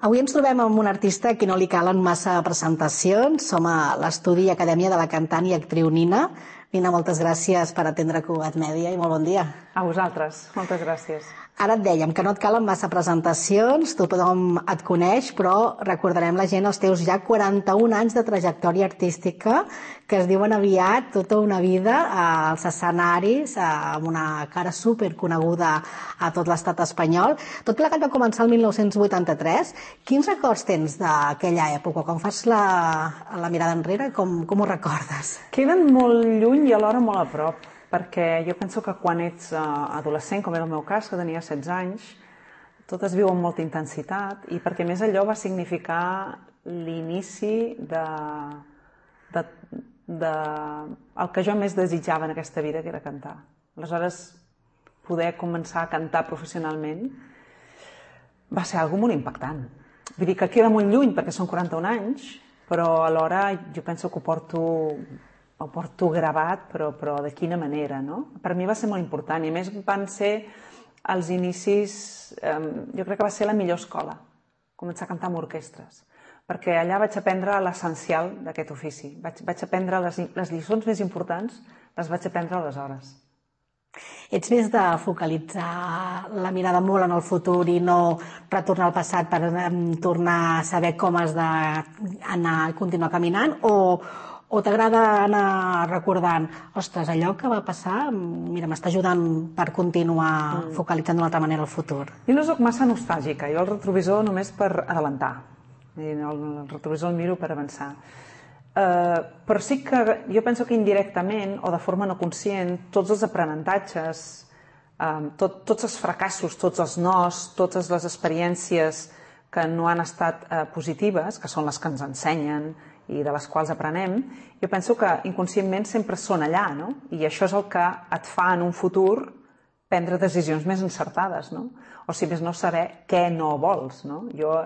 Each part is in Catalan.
Avui ens trobem amb un artista a qui no li calen massa presentacions. Som a l'estudi Acadèmia de la cantant i actriu Nina. Nina, moltes gràcies per atendre Cugat Mèdia i molt bon dia. A vosaltres, moltes gràcies. Ara et dèiem que no et calen massa presentacions, tothom et coneix, però recordarem la gent els teus ja 41 anys de trajectòria artística, que es diuen aviat tota una vida als escenaris, amb una cara superconeguda a tot l'estat espanyol. Tot plegat va començar el 1983. Quins records tens d'aquella època? Quan fas la mirada enrere, com ho recordes? Queden molt lluny i alhora molt a prop, perquè jo penso que quan ets adolescent, com era el meu cas, que tenia 16 anys, tot es viu amb molta intensitat i perquè més allò va significar l'inici el que jo més desitjava en aquesta vida, que era cantar. Aleshores, poder començar a cantar professionalment va ser algo molt impactant. Vull dir que queda molt lluny perquè són 41 anys, però alhora jo penso que ho porto gravat, però de quina manera, no? Per mi va ser molt important i a més van ser els inicis, jo crec que va ser la millor escola, començar a cantar amb orquestres, perquè allà vaig aprendre l'essencial d'aquest ofici, vaig aprendre les lliçons més importants, les vaig aprendre aleshores. Ets més de focalitzar la mirada molt en el futur i no retornar al passat per tornar a saber com has d'anar i continuar caminant, o t'agrada anar recordant, ostres, allò que va passar, mira, m'està ajudant per continuar focalitzant d'una altra manera el futur? Jo no soc massa nostàlgica, jo el retrovisor només per adelantar, el retrovisor el miro per avançar. Però sí que jo penso que indirectament o de forma no conscient, tots els aprenentatges, tots els fracassos, tots els nos, totes les experiències que no han estat positives, que són les que ens ensenyen i de les quals aprenem, jo penso que inconscientment sempre són allà, no? I això és el que et fa en un futur prendre decisions més encertades, no? O si més no, saber què no vols, no? Jo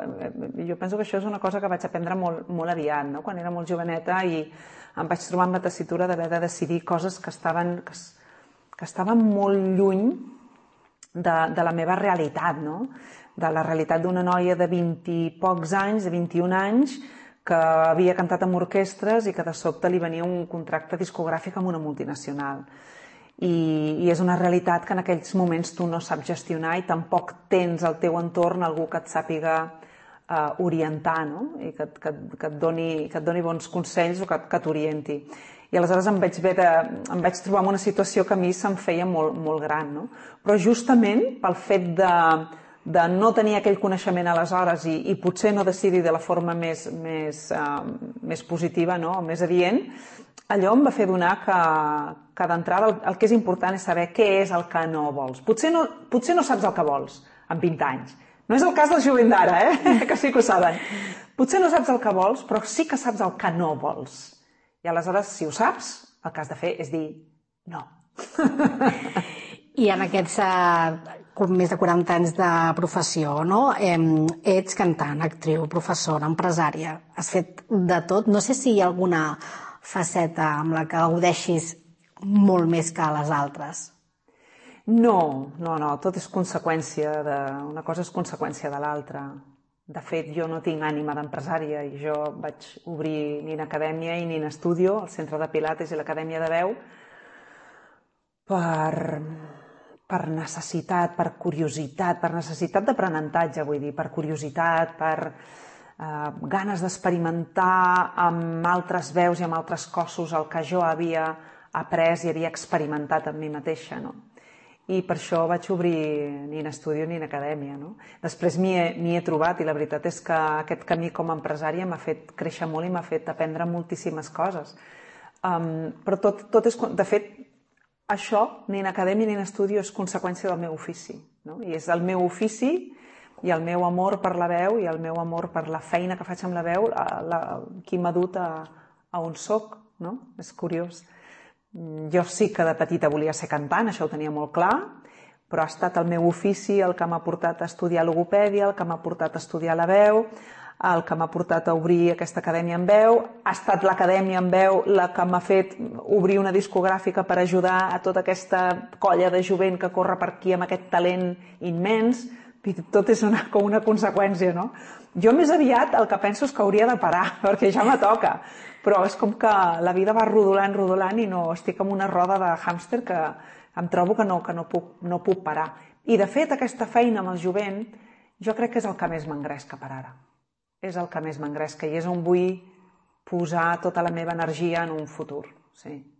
penso que això és una cosa que vaig aprendre molt aviat, no? Quan era molt joveneta i em vaig trobar amb la tessitura d'haver de decidir coses que estaven molt lluny de la meva realitat, no? De la realitat d'una noia de 20 i pocs anys, de 21 anys, que havia cantat amb orquestres i que de sobte li venia un contracte discogràfic amb una multinacional. I és una realitat que en aquells moments tu no saps gestionar i tampoc tens al teu entorn algú que et sàpiga orientar, no? I que et doni bons consells o que t'orienti. I aleshores em vaig trobar en una situació que a mi se'm feia molt gran, no? Però justament pel fet de no tenir aquell coneixement aleshores i potser no decidir de la forma més positiva, no? O més adient, allò em va fer donar que d'entrada el que és important és saber què és el que no vols. Potser no saps el que vols amb 20 anys. No és el cas del jovent d'ara, que sí que ho saben. Potser no saps el que vols, però sí que saps el que no vols. I aleshores, si ho saps, el que has de fer és dir no. I en aquests més de 40 anys de professió, no? Ets cantant, actriu, professora, empresària, has fet de tot. No sé si hi ha alguna faceta amb la que gaudeixis molt més que les altres. No, tot és conseqüència una cosa és conseqüència de l'altra. De fet, jo no tinc ànima d'empresària i jo vaig obrir Nina Acadèmia i Nina Studio, el centre de pilates i l'Acadèmia de Veu, per necessitat, per curiositat, per necessitat d'aprenentatge, vull dir, per curiositat, per ganes d'experimentar amb altres veus i amb altres cossos el que jo havia après i havia experimentat amb mi mateixa, no? I per això vaig obrir Nina Studio i Nina Acadèmia, no? Després m'hi he trobat i la veritat és que aquest camí com a empresària m'ha fet créixer molt i m'ha fet aprendre moltíssimes coses. Però tot és... De fet, això, Nina Acadèmia i Nina Studio, és conseqüència del meu ofici, no? I és el meu ofici i el meu amor per la veu i el meu amor per la feina que faig amb la veu qui m'ha dut a on soc, no? És curiós. Jo sí que de petita volia ser cantant, això ho tenia molt clar, però ha estat el meu ofici el que m'ha portat a estudiar logopèdia, el que m'ha portat a estudiar la veu, el que m'ha portat a obrir aquesta acadèmia en veu, ha estat l'acadèmia en veu la que m'ha fet obrir una discogràfica per ajudar a tota aquesta colla de jovent que corre per aquí amb aquest talent immens. tot és com una conseqüència, no? Jo més aviat el que penso és que hauria de parar, perquè ja me toca. Però és com que la vida va rodolant i no estic en una roda de hàmster que em trobo que no puc parar. I, de fet, aquesta feina amb el jovent jo crec que és el que més m'engresca per ara. És el que més m'engresca i és on vull posar tota la meva energia en un futur, sí.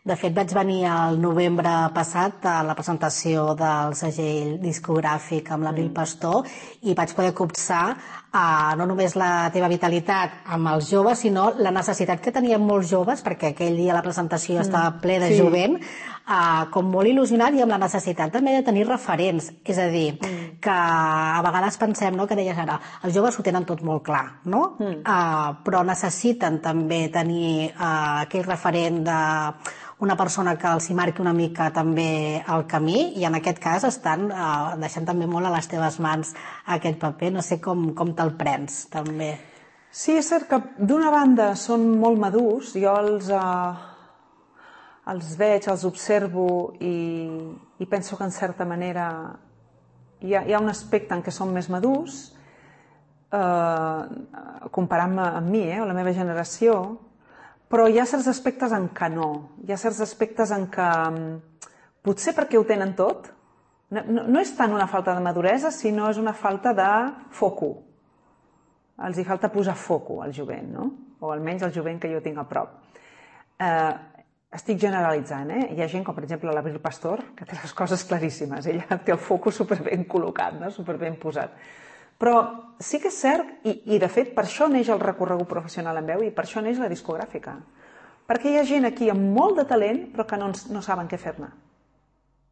De fet, vaig venir al novembre passat a la presentació del segell discogràfic amb l'Abril Pastor i vaig poder copsar no només la teva vitalitat amb els joves, sinó la necessitat que tenien molts joves, perquè aquell dia la presentació estava ple de jovent, com molt il·lusionat i amb la necessitat també de tenir referents. És a dir, que a vegades pensem, que deies ara, els joves ho tenen tot molt clar, no? Però necessiten també tenir aquell referent d'una persona que els hi marqui una mica també el camí i en aquest cas estan deixant també molt a les teves mans aquest paper. No sé com te'l prens, també. Sí, és cert que d'una banda són molt madurs, jo els veig, els observo i penso que en certa manera hi ha un aspecte en què són més madurs comparant-me amb mi, o la meva generació, però hi ha certs aspectes en què no. Hi ha certs aspectes en què potser perquè ho tenen tot, no és tant una falta de maduresa, sinó és una falta de foco. Els hi falta posar foco al jovent, no? O almenys al jovent que jo tinc a prop. Estic generalitzant, Hi ha gent com, per exemple, l'Abril Pastor, que té les coses claríssimes. Ella té el foco superben col·locat, superben posat. Però sí que és cert, i de fet per això neix el recorregut professional en veu i per això neix la discogràfica. Perquè hi ha gent aquí amb molt de talent però que no saben què fer-ne.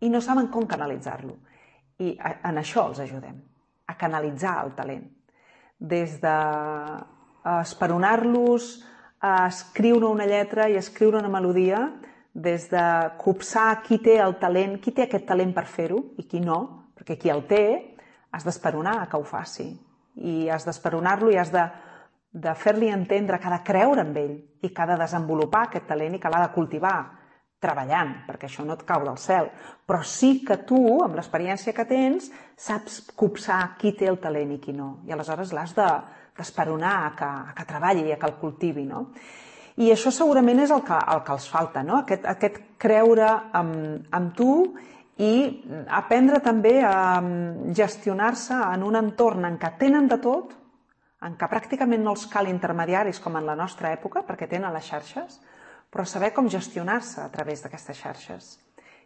I no saben com canalitzar-lo. I en això els ajudem, a canalitzar el talent. Des d'esperonar-los, a escriure una lletra i escriure una melodia, des de copsar qui té el talent, qui té aquest talent per fer-ho i qui no, perquè qui el té has d'esperonar que ho faci i has d'esperonar-lo i has de fer-li entendre que ha de creure en ell i que ha de desenvolupar aquest talent i que l'ha de cultivar treballant, perquè això no et cau del cel, però sí que tu, amb l'experiència que tens, saps copsar qui té el talent i qui no, i aleshores l'has d'esperonar a que treballi i a que el cultivi, no? I això segurament és el que els falta, no? Aquest creure en tu i aprendre també a gestionar-se en un entorn en què tenen de tot, en què pràcticament no els cal intermediaris com en la nostra època, perquè tenen les xarxes, però saber com gestionar-se a través d'aquestes xarxes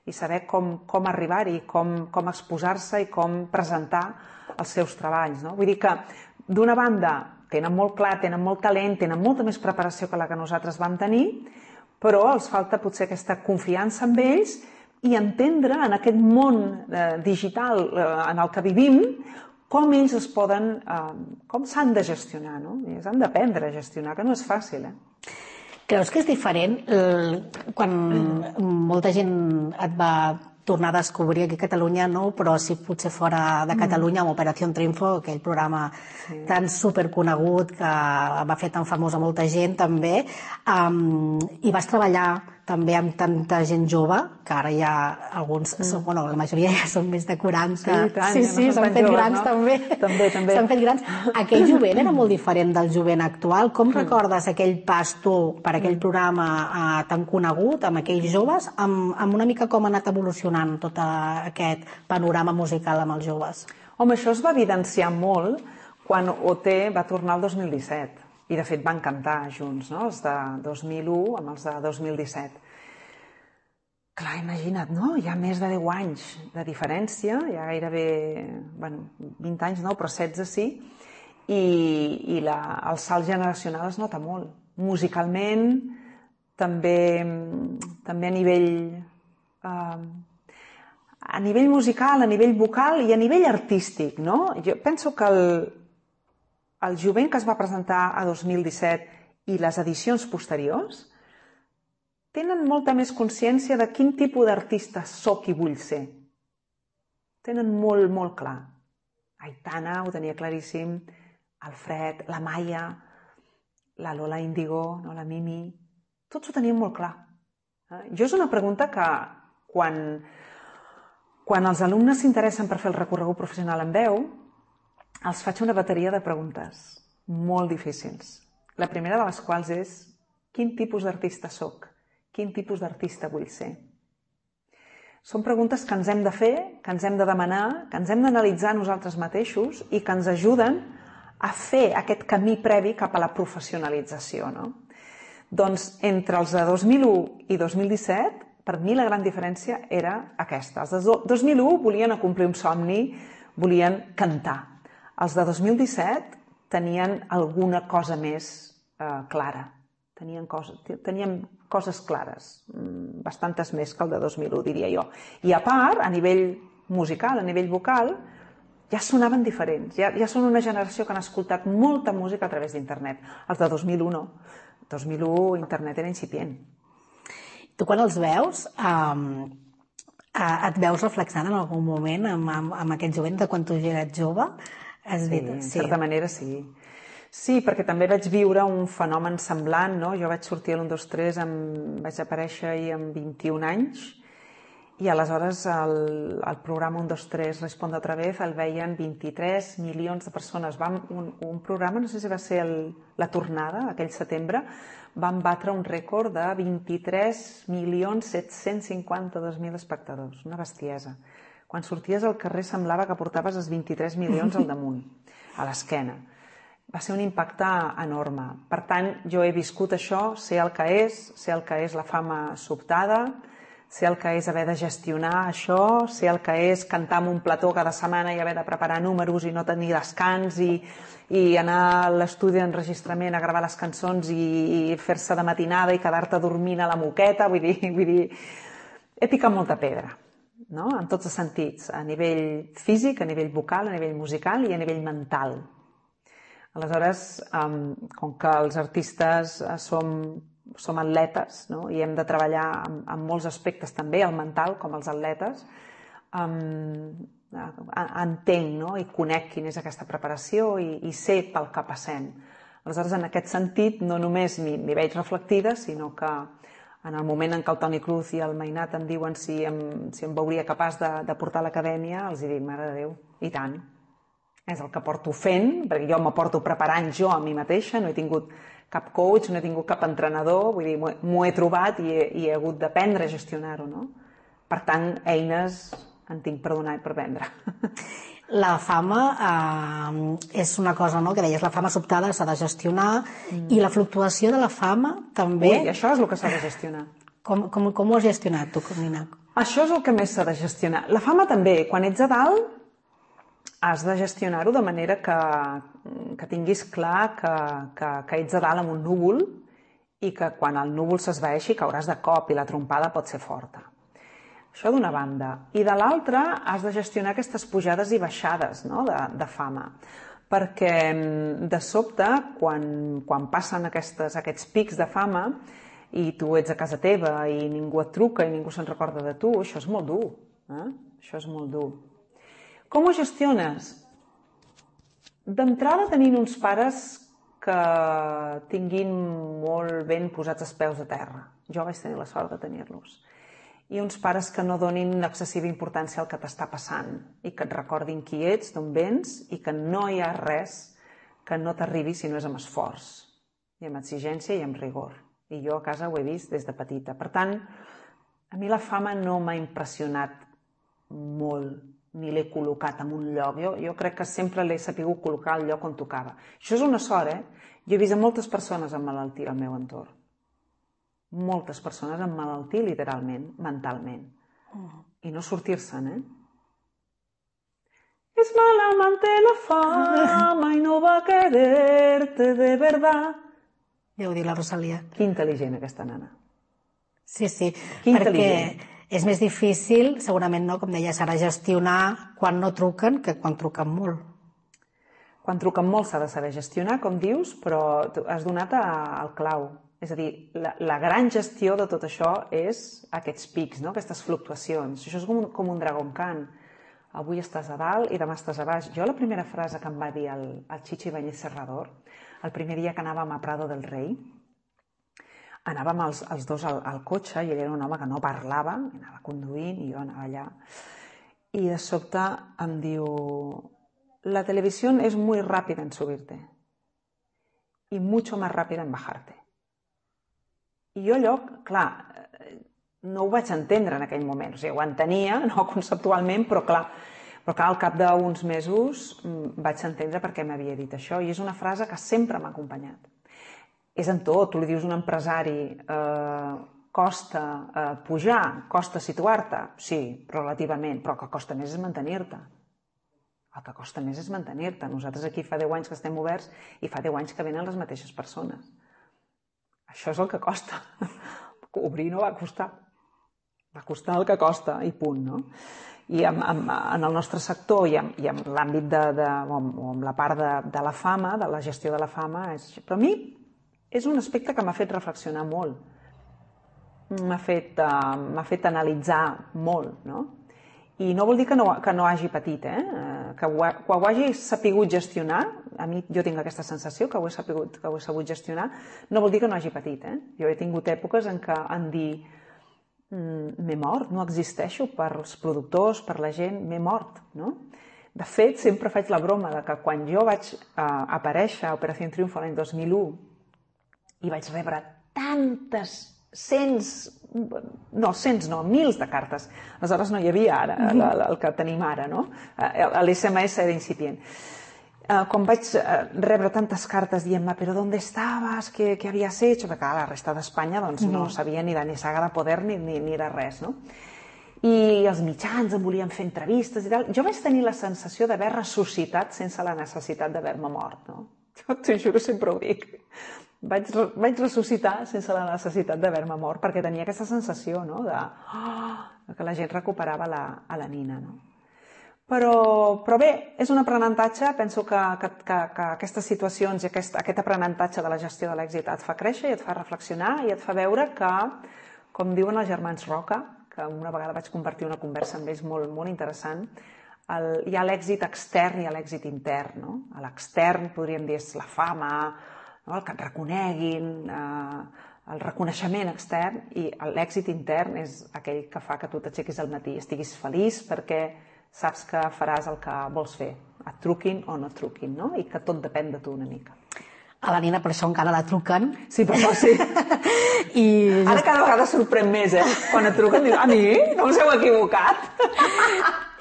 i saber com arribar-hi, com exposar-se i com presentar els seus treballs. Vull dir que, d'una banda, tenen molt clar, tenen molt talent, tenen molta més preparació que la que nosaltres vam tenir, però els falta potser aquesta confiança en ells i entendre en aquest món digital en el que vivim com ells es poden, com s'han de gestionar, no? S'han d'aprendre a gestionar, que no és fàcil, Creus que és diferent quan molta gent et va tornar a descobrir aquí a Catalunya, no? Però sí potser fora de Catalunya amb Operació Triunfo, aquell programa tan superconegut que va fer tan famós a molta gent també, i vas treballar també amb tanta gent jove, que ara ja alguns, bueno, la majoria ja són més de 40. Sí, i tant, sí, s'han fet grans també. També. S'han fet grans. Aquell jovent era molt diferent del jovent actual. Com recordes aquell pas tu per aquell programa tan conegut, amb aquells joves, amb una mica com ha anat evolucionant tot aquest panorama musical amb els joves? Home, això es va evidenciar molt quan OT va tornar el 2017. I, de fet, van cantar junts, no? Els de 2001 amb els de 2017. Clar, imagina't, no? Hi ha més de 10 anys de diferència, hi ha gairebé, 20 anys no, però 16 sí, i el salt generacional es nota molt. Musicalment, també a nivell musical, a nivell vocal i a nivell artístic, no? Jo penso que el jovent que es va presentar a 2017 i les edicions posteriors tenen molta més consciència de quin tipus d'artista soc i vull ser. Tenen molt, molt clar. Aitana ho tenia claríssim, el Fred, la Maia, la Lola Índigo, la Mimi, tots ho tenien molt clar. Jo és una pregunta que quan Quan els alumnes s'interessen per fer el recorregut professional en veu, els faig una bateria de preguntes molt difícils. La primera de les quals és: quin tipus d'artista soc? Quin tipus d'artista vull ser? Són preguntes que ens hem de fer, que ens hem de demanar, que ens hem d'analitzar nosaltres mateixos i que ens ajuden a fer aquest camí previ cap a la professionalització, no? Doncs entre els de 2001 i 2017, per mi la gran diferència era aquesta. Els de 2001 volien acomplir un somni, volien cantar. Els de 2017 tenien alguna cosa més clara. Tenien coses clares, bastantes més que el de 2001, diria jo. I a part, a nivell musical, a nivell vocal, ja sonaven diferents. Ja són una generació que han escoltat molta música a través d'internet. Els de 2001 no. 2001 internet era incipient. Tu quan els veus, et veus reflexant en algun moment amb aquest jovent de quan tu ja eres jove? Sí, en certa manera sí. Sí, perquè també vaig viure un fenomen semblant, no? Jo vaig sortir a l'1, 2, 3, vaig aparèixer ahir amb 21 anys i aleshores el programa 1, 2, 3 Responde otra vez el veien 23 milions de persones. Un programa, no sé si va ser la tornada, aquell setembre, vam batre un rècord de 23.752.000 espectadors. Una bestiesa. Quan sorties al carrer semblava que portaves els 23 milions al damunt, a l'esquena. Va ser un impacte enorme. Per tant, jo he viscut això, sé el que és la fama sobtada, sé el que és haver de gestionar això, sé el que és cantar en un plató cada setmana i haver de preparar números i no tenir descans i anar a l'estudi d'enregistrament a gravar les cançons i fer-se de matinada i quedar-te dormint a la moqueta. Vull dir, he picat molta pedra, no? En tots els sentits, a nivell físic, a nivell vocal, a nivell musical i a nivell mental. Aleshores, com que els artistes som atletes, no? I hem de treballar en molts aspectes també, el mental com els atletes, entenc, no? I conec quina és aquesta preparació i sé pel que passem. Aleshores, en aquest sentit, no només m'hi veig reflectida, sinó que en el moment en què el Toni Cruz i el Mainat em diuen si em veuria capaç de portar a l'acadèmia, els dic, mare de Déu, i tant. És el que porto fent, perquè jo m'aporto preparant jo a mi mateixa, no he tingut cap coach, no he tingut cap entrenador, vull dir, m'ho he trobat i he hagut d'aprendre a gestionar-ho, no? Per tant, eines en tinc per donar i per vendre. La fama és una cosa, no?, que deies, la fama sobtada s'ha de gestionar i la fluctuació de la fama també... Ui, això és el que s'ha de gestionar. Com ho has gestionat tu, Carmina? Això és el que més s'ha de gestionar. La fama també, quan ets a dalt, has de gestionar-ho de manera que tinguis clar que ets a dalt amb un núvol i que quan el núvol s'esvaeixi cauràs de cop i la trompada pot ser forta. Això d'una banda. I de l'altra has de gestionar aquestes pujades i baixades, no?, de fama. Perquè de sobte, quan passen aquests pics de fama i tu ets a casa teva i ningú et truca i ningú se'n recorda de tu, això és molt dur. Això és molt dur. Com ho gestiones? D'entrada tenint uns pares que tinguin molt ben posats els peus a terra. Jo vaig tenir la sort de tenir-los. I uns pares que no donin excessiva importància al que t'està passant i que et recordin qui ets, d'on vens i que no hi ha res que no t'arribi si no és amb esforç i amb exigència i amb rigor. I jo a casa ho he vist des de petita. Per tant, a mi la fama no m'ha impressionat molt, ni l'he col·locat en un lloc. Jo crec que sempre l'he sapigut col·locar al lloc on tocava. Això és una sort, Jo he vist moltes persones amb malaltia al meu entorn. Moltes persones amb malaltia, literalment, mentalment. I no sortir-se'n, Es mala amante la fama y no va a quererte de verdad. Ja ho diu la Rosalia. Que intel·ligent, aquesta nana. Sí, Que perquè intel·ligent. és més difícil, segurament, no, com deies ara, gestionar quan no truquen que quan truquen molt. Quan truquen molt s'ha de saber gestionar, com dius, però has donat al clau. És a dir, la gran gestió de tot això és aquests pics, no? Aquestes fluctuacions. Això és com un Dragon Khan. Avui estàs a dalt i demà estàs a baix. Jo la primera frase que em va dir el Chichi Ibáñez Serrador, el primer dia que anàvem a Prado del Rei, anàvem els dos al cotxe i ell era un home que no parlava, anava conduint i jo anava allà. i de sobte em diu: la televisión es muy rápida en subirte y mucho más rápida en bajarte. I jo allò, clar, no ho vaig entendre en aquell moment. O sigui, ho entenia, no conceptualment, però clar, al cap d'uns mesos vaig entendre per què m'havia dit això. I és una frase que sempre m'ha acompanyat. És en tot, tu li dius a un empresari, costa pujar, costa situar-te? Sí, relativament, però el que costa més és mantenir-te. El que costa més és mantenir-te. Nosaltres aquí fa 10 anys que estem oberts i fa 10 anys que venen les mateixes persones. Això és el que costa. Obrir no va costar. Va costar el que costa i punt, no? I en el nostre sector i en l'àmbit o en la part de la fama, de la gestió de la fama, però a mi és un aspecte que m'ha fet reflexionar molt. M'ha fet analitzar molt, no? I no vol dir que no hagi patit, que ho hagi sapigut gestionar. A mi jo tinc aquesta sensació que ho he sabut gestionar. No vol dir que no hagi patit. Jo he tingut èpoques en què en dir m'he mort, no existeixo per als productors, per la gent, m'he mort. No? De fet, sempre faig la broma de que quan jo vaig aparèixer a Operació Triunfo l'any 2001 i vaig rebre tantes mils de cartes. Aleshores no hi havia ara el que tenim ara, no? L'SMS era incipient. Quan vaig rebre tantes cartes dient-me «Però ¿dónde estabas? ¿Qué habías hecho?» Perquè la resta d'Espanya no sabia ni de Saga de Poder ni de res, no? I els mitjans em volien fer entrevistes i tal. Jo vaig tenir la sensació d'haver ressuscitat sense la necessitat d'haver-me mort, no? T'ho juro, sempre ho dic. Vaig ressuscitar sense la necessitat d'haver-me mort perquè tenia aquesta sensació, no? De que la gent recuperava a la Nina, no? Però bé, és un aprenentatge. Penso que aquestes situacions i aquest aprenentatge de la gestió de l'èxit et fa créixer i et fa reflexionar i et fa veure que, com diuen els germans Roca, que una vegada vaig compartir una conversa amb ells molt, molt interessant, hi ha l'èxit extern i l'èxit intern. L'extern, podríem dir, és la fama, el que et reconeguin, el reconeixement extern, i l'èxit intern és aquell que fa que tu t'aixequis al matí i estiguis feliç perquè saps que faràs el que vols fer, et truquin o no et truquin, no? I que tot depèn de tu una mica. A la Nina per això encara la truquen. Sí, per això sí. Ara cada vegada sorprèn més, Quan et truquen dius, a mi? No us heu equivocat?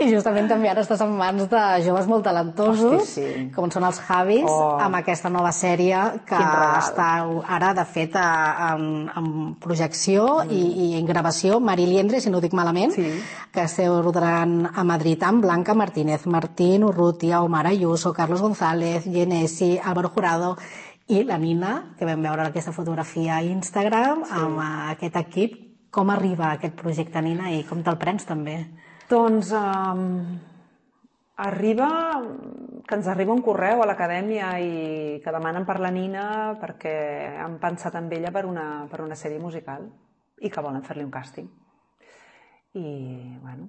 I justament també ara estàs en mans de joves molt talentosos, com són els Javis, amb aquesta nova sèrie que està ara, de fet, en projecció i en gravació, Mari Liendre, si no ho dic malament, que esteu rodant a Madrid amb Blanca Martínez, Martín Urrutia, Omar Ayuso, Carlos González, Genesi, Álvaro Jurado i la Nina, que vam veure aquesta fotografia a Instagram, amb aquest equip. Com arriba aquest projecte, Nina, i com te'l prens també? Doncs que ens arriba un correu a l'acadèmia i que demanen per la Nina perquè han pensat en ella per una sèrie musical i que volen fer-li un càsting. I bueno,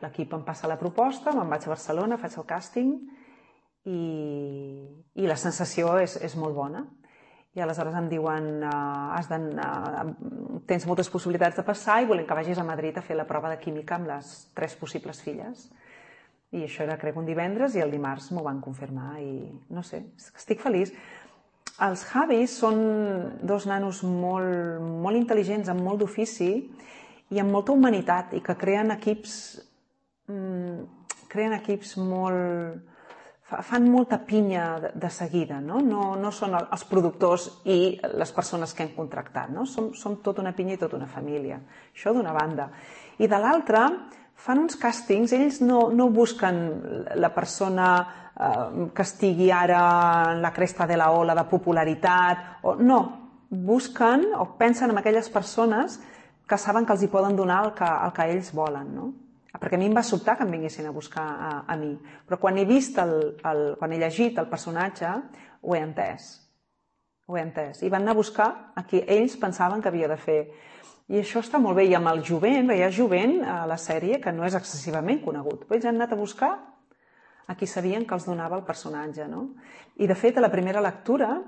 l'equip em passa la proposta, me'n vaig a Barcelona, faig el càsting i la sensació és molt bona. I aleshores em diuen tens moltes possibilitats de passar i volem que vagis a Madrid a fer la prova de química amb les 3 possibles filles. I això era, crec, un divendres i el dimarts m'ho van confirmar i no sé, estic feliç. Els Javis són 2 nanos molt intel·ligents, amb molt d'ofici i amb molta humanitat i que creen equips molt... fan molta pinya de seguida, no? No són els productors i les persones que hem contractat, no? Som tota una pinya i tota una família. Això d'una banda. I de l'altra, fan uns càstings, ells no busquen la persona que estigui ara en la cresta de la ola de popularitat, no, busquen o pensen en aquelles persones que saben que els hi poden donar el que ells volen, no? Perquè a mi em va sobtar que em vinguessin a buscar a mi. Però quan he vist, quan he llegit el personatge, ho he entès. I van anar a buscar a qui ells pensaven que havia de fer. I això està molt bé. I amb el jovent, hi ha jovent a la sèrie que no és excessivament conegut. Però ells han anat a buscar a qui sabien que els donava el personatge, no? I de fet, a la primera lectura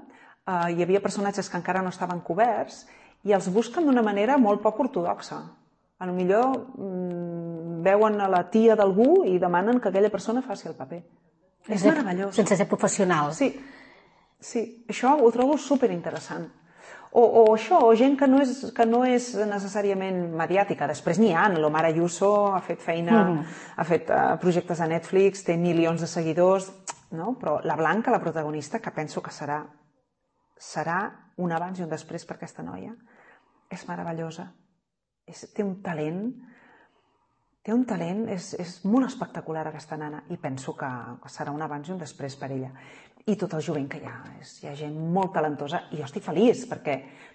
hi havia personatges que encara no estaven coberts i els busquen d'una manera molt poc ortodoxa. Potser veuen a la tia d'algú i demanen que aquella persona faci el paper. És meravellós. Sense ser professional. Sí, això ho trobo superinteressant. O això, o gent que no és necessàriament mediàtica. Després n'hi ha, l'Omar Ayuso ha fet feina, ha fet projectes a Netflix, té milions de seguidors, no? Però la Blanca, la protagonista, que penso que serà un abans i un després per aquesta noia, és meravellosa. Té un talent, és molt espectacular aquesta nana i penso que serà un abans i un després per ella. I tot el jovent que hi ha. Hi ha gent molt talentosa i jo estic feliç perquè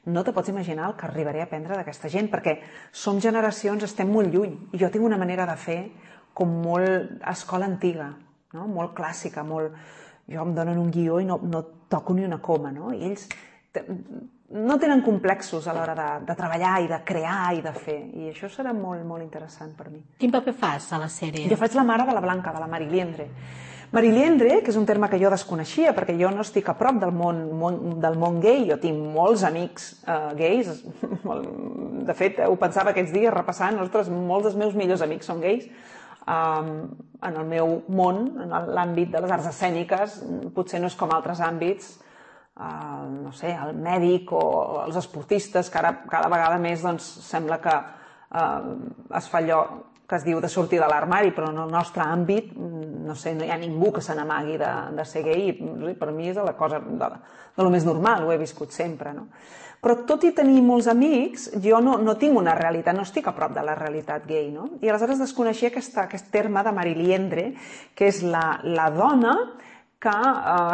no te pots imaginar el que arribaré a aprendre d'aquesta gent perquè som generacions, estem molt lluny i jo tinc una manera de fer com molt escola antiga, no? Molt clàssica, jo em donen un guió i no toco ni una coma, no? I ells no tenen complexos a l'hora de treballar i de crear i de fer i això serà molt, molt interessant per mi. Quin paper fas a la sèrie? Jo faig la mare de la Blanca, de la Mariliendre. Mariliendre, que és un terme que jo desconeixia perquè jo no estic a prop del món gai, jo tinc molts amics gais, de fet ho pensava aquests dies repassant, ostres, molts dels meus millors amics són gais. En el meu món, en l'àmbit de les arts escèniques, potser no és com altres àmbits, no sé, el mèdic o els esportistes, que ara cada vegada més sembla que es fa allò que es diu de sortir de l'armari, però en el nostre àmbit, no sé, no hi ha ningú que se n'amagui de ser gai, i per mi és la cosa de lo més normal, ho he viscut sempre, no? Però tot i tenir molts amics, jo no tinc una realitat, no estic a prop de la realitat gai, no? I aleshores desconeixia aquest terme de Mariliendre, que és la dona que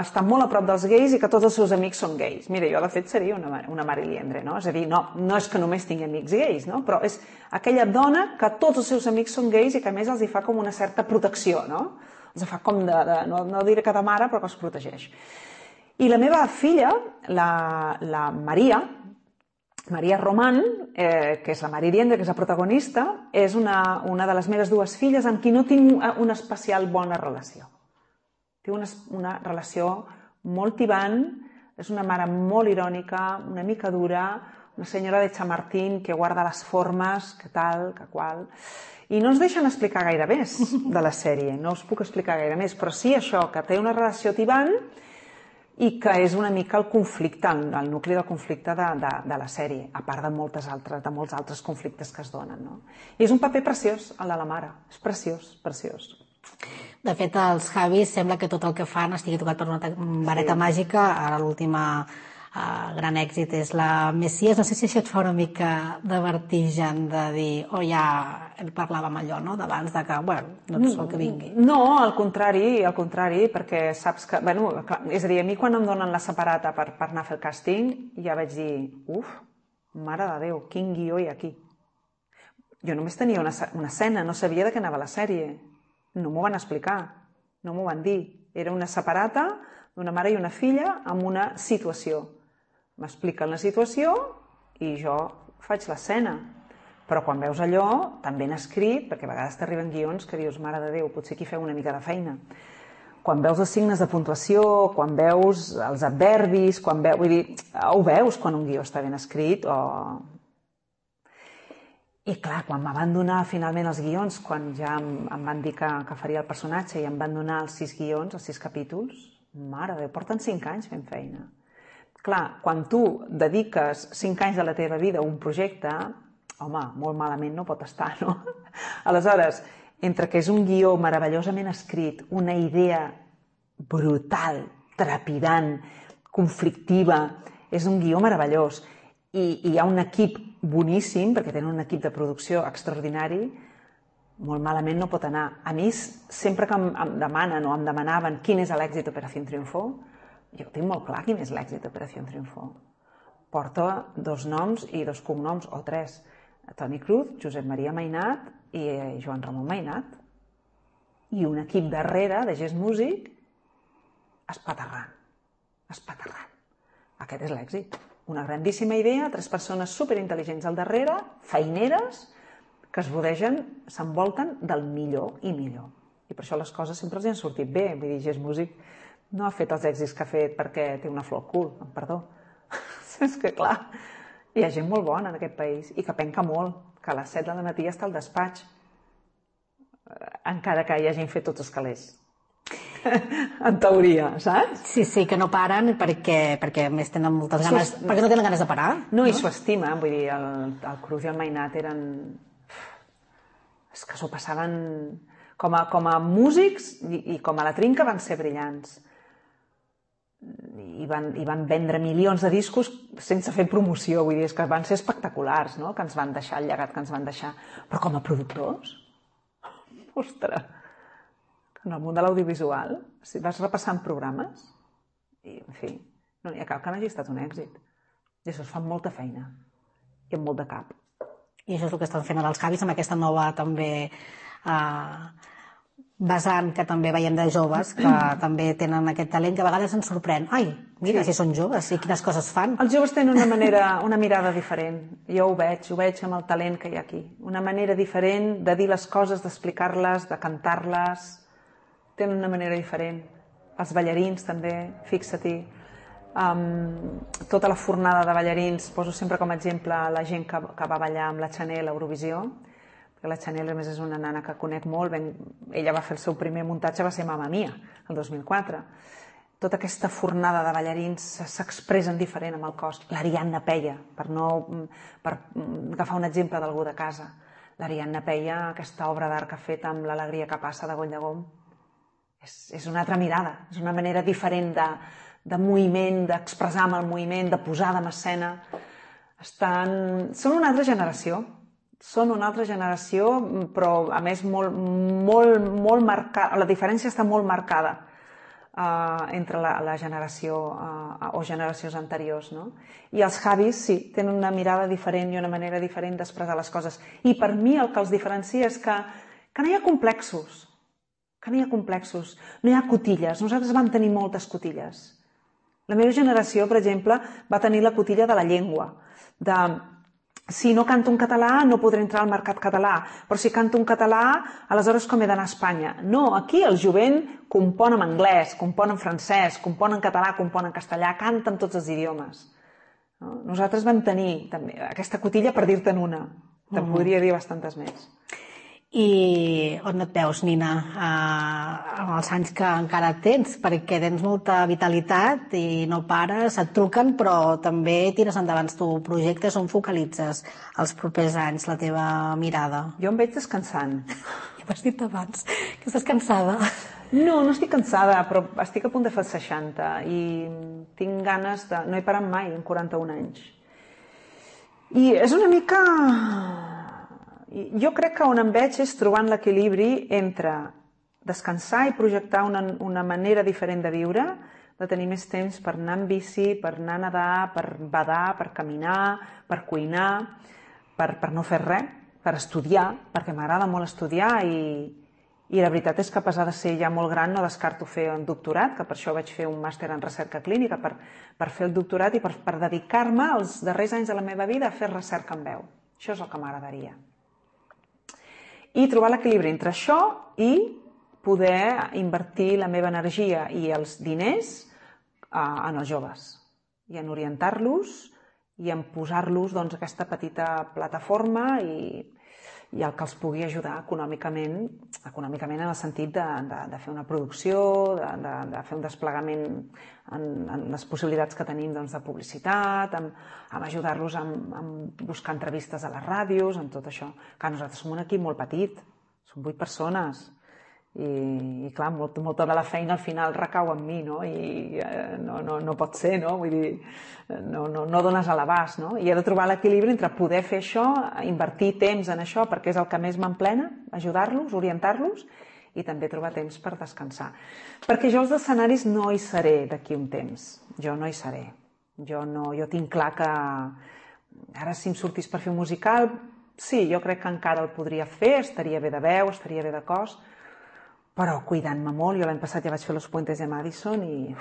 està molt a prop dels gais i que tots els seus amics són gais. Mira, jo de fet seria una Mariliendre, no? És a dir, no és que només tingui amics gais, no? Però és aquella dona que tots els seus amics són gais i que a més els hi fa com una certa protecció, no? Els fa com no diré que de mare, però que els protegeix. I la meva filla, la Maria Román, que és la Mariliendre, que és la protagonista, és una de les meves dues filles amb qui no tinc una especial bona relació. Té una relació molt tibant, és una mare molt irònica, una mica dura, una senyora de Chamartín que guarda les formes, que tal, que qual. I no ens deixen explicar gaire més de la sèrie, no us puc explicar gaire més, però sí això, que té una relació tibant i que és una mica el conflicte, el nucli del conflicte de la sèrie, a part de molts altres conflictes que es donen. No? I és un paper preciós, el de la mare. És preciós, preciós. De fet, els Javis sembla que tot el que fan estigui tocat per una vareta màgica. Ara l'última gran èxit és la Messies. No sé si això et fa una mica de vertigen de dir, ja parlàvem allò, no?, d'abans de que, no és el que vingui. No, al contrari, perquè saps que, és a dir, a mi quan em donen la separata per anar a fer el càsting, ja vaig dir, mare de Déu, quin guió hi ha aquí. Jo només tenia una escena, no sabia de què anava la sèrie. No m'ho van explicar, no m'ho van dir. Era una separata d'una mare i una filla amb una situació. M'expliquen la situació i jo faig l'escena. Però quan veus allò, tan ben escrit, perquè a vegades t'arriben guions que dius, mare de Déu, potser aquí feu una mica de feina. Quan veus els signes de puntuació, quan veus els adverbis, vull dir, ho veus quan un guió està ben escrit o... I clar, quan em van donar finalment els guions, quan ja em van dir que faria el personatge i em van donar els 6 guions, els 6 capítols, mare de Déu, porten 5 anys fent feina. Clar, quan tu dediques 5 anys de la teva vida a un projecte, home, molt malament no pot estar, no? Aleshores, entre que és un guió meravellosament escrit, una idea brutal, trepidant, conflictiva, és un guió meravellós, i hi ha un equip boníssim, perquè tenen un equip de producció extraordinari, molt malament no pot anar. A mi, sempre que em demanen o em demanaven quin és l'èxit d'Operació Triunfo, jo tinc molt clar quin és l'èxit d'Operació Triunfo. Porta 2 noms i 2 cognoms, o 3. Toni Cruz, Josep Maria Mainat i Joan Ramon Mainat. I un equip darrere de Gest Músic espaterrant. Aquest és l'èxit. Una grandíssima idea, 3 persones superintel·ligents al darrere, feineres, que es rodegen, s'envolten del millor i millor. I per això les coses sempre els han sortit bé. Vull dir, Gest Músic no ha fet els èxits que ha fet perquè té una flor al cul, perdó. És que, clar, hi ha gent molt bona en aquest país i que penca molt, que a les 7 del matí està al despatx. encara que hi hagin fet tots els calés. En teoria, saps? Sí, que no paren perquè a més tenen moltes ganes, perquè no tenen ganes de parar. No, i s'ho estima, vull dir, el Cruz i el Mainat eren... És que s'ho passaven... Com a músics i com a la trinca van ser brillants. I van vendre milions de discos sense fer promoció, vull dir, és que van ser espectaculars, no?, que ens van deixar, el llegat que ens van deixar. Però com a productors, ostres, en el món de l'audiovisual, si vas repassant programes, i, en fi, no n'hi ha cap que no hagi estat un èxit. I això es fa amb molta feina i amb molt de cap. I això és el que estan fent ara els Javis amb aquesta nova també vessant que també veiem de joves que també tenen aquest talent que a vegades ens sorprèn. Ai, mira, si són joves i quines coses fan. Els joves tenen una mirada diferent. Jo ho veig amb el talent que hi ha aquí. Una manera diferent de dir les coses, d'explicar-les, de cantar-les. Tenen una manera diferent. Els ballarins també, fixa-t'hi. Tota la fornada de ballarins, poso sempre com a exemple la gent que va ballar amb la Chanel a Eurovisió. La Chanel, a més, és una nana que conec molt. Ella va fer el seu primer muntatge, va ser Mamma Mia, el 2004. Tota aquesta fornada de ballarins s'expressen diferent amb el cos. L'Ariadna Peia, per agafar un exemple d'algú de casa. L'Ariadna Peia, aquesta obra d'art que ha fet amb L'alegria que passa de Goll de Gom, és una altra mirada, és una manera diferent de moviment, d'expressar amb el moviment, de posar en escena. Són una altra generació. Són una altra generació, però a més molt marcada. La diferència està molt marcada entre la generació o generacions anteriors, no? I els Javis, sí, tenen una mirada diferent i una manera diferent d'expressar les coses. I per mi el que els diferencia és que no hi ha complexos, no hi ha cotilles. Nosaltres vam tenir moltes cotilles. La meva generació, per exemple, va tenir la cotilla de la llengua, si no canto en català no podré entrar al mercat català, però si canto en català, aleshores com he d'anar a Espanya? No, aquí el jovent compon en anglès, compon en francès, compon en català, compon en castellà, canta en tots els idiomes. Nosaltres vam tenir també aquesta cotilla, per dir-te'n una. Te'n podria dir bastantes més. I on et veus, Nina, amb els anys que encara tens? Perquè tens molta vitalitat i no pares, et truquen, però també tires endavant tu projectes. On focalitzes els propers anys la teva mirada? Jo em veig descansant. Ja m'has dit abans que estàs cansada. No estic cansada, però estic a punt de fer 60 i tinc ganes de... No he parat mai en 41 anys. I és una mica... Jo crec que on em veig és trobant l'equilibri entre descansar i projectar una manera diferent de viure, de tenir més temps per anar en bici, per anar a nedar, per badar, per caminar, per cuinar, per no fer res, per estudiar, perquè m'agrada molt estudiar i la veritat és que a pesar de ser ja molt gran no descarto fer un doctorat, que per això vaig fer un màster en recerca clínica, per fer el doctorat i per dedicar-me els darrers anys de la meva vida a fer recerca en veu. Això és el que m'agradaria. I trobar l'equilibri entre això i poder invertir la meva energia i els diners en els joves i en orientar-los i en posar-los aquesta petita plataforma i el que els pugui ajudar econòmicament en el sentit de fer una producció, de fer un desplegament en les possibilitats que tenim de publicitat, amb ajudar-los a buscar entrevistes a les ràdios, en tot això. Clar, nosaltres som un equip molt petit, som 8 persones, i clar, molta de la feina al final recau en mi, no? I no pot ser, no? Vull dir, no dones a l'abast, no? I he de trobar l'equilibri entre poder fer això, invertir temps en això, perquè és el que més m'emplena, ajudar-los, orientar-los, i també trobar temps per descansar. Perquè jo als escenaris no hi seré d'aquí un temps. Jo no hi seré. Jo tinc clar que ara si em sortís per fer un musical, sí, jo crec que encara el podria fer, estaria bé de veu, estaria bé de cos, però cuidant-me molt. Jo l'any passat ja vaig fer Los Puentes de Madison i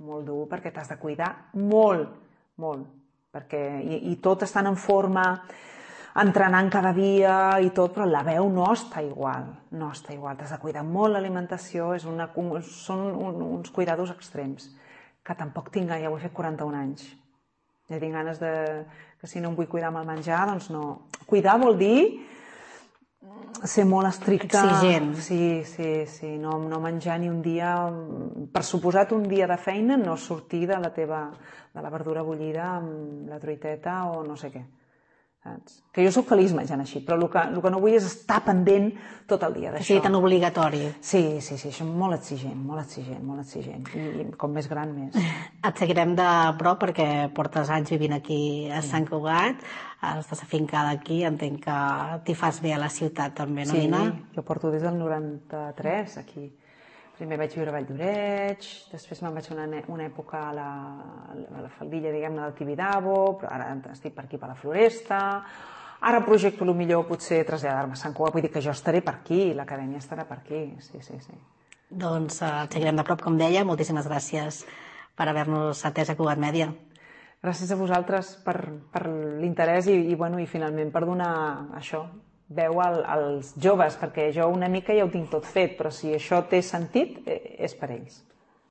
molt dur, perquè t'has de cuidar molt, i tot estant en forma, entrenant cada dia i tot, però la veu no està igual, t'has de cuidar molt l'alimentació, són uns cuidados extrems, que tampoc tinc, ja ho he fet 41 anys, ja tinc ganes que si no em vull cuidar amb el menjar, doncs no. Cuidar vol dir ser molt estricte. Exigent. Sí. No menjar ni un dia, per suposat un dia de feina, no sortir de la verdura bullida amb la truiteta o no sé què. Saps? Que jo soc feliç menjant així, però el que no vull és estar pendent tot el dia d'això. Que sigui tan obligatori. Sí, això és molt exigent. I com més gran, més. Et seguirem de prop perquè portes anys vivint aquí a Sant Cugat, estàs afincada aquí, entenc que t'hi fas bé a la ciutat també, no, Nina? Sí, jo porto des del 93 aquí. Primer vaig viure a Vall d'Oreig, després me'n vaig una època a la faldilla, diguem-ne, del Tibidabo, però ara estic per aquí, per la Floresta. Ara projecto millor potser traslladar-me a Sant Cugat, vull dir que jo estaré per aquí, l'acadèmia estarà per aquí, sí. Doncs et seguirem de prop, com deia. Moltíssimes gràcies per haver-nos atès a Cugat Mèdia. Gràcies a vosaltres per l'interès i finalment per donar això, veu als joves, perquè jo una mica ja ho tinc tot fet, però si això té sentit, és per ells.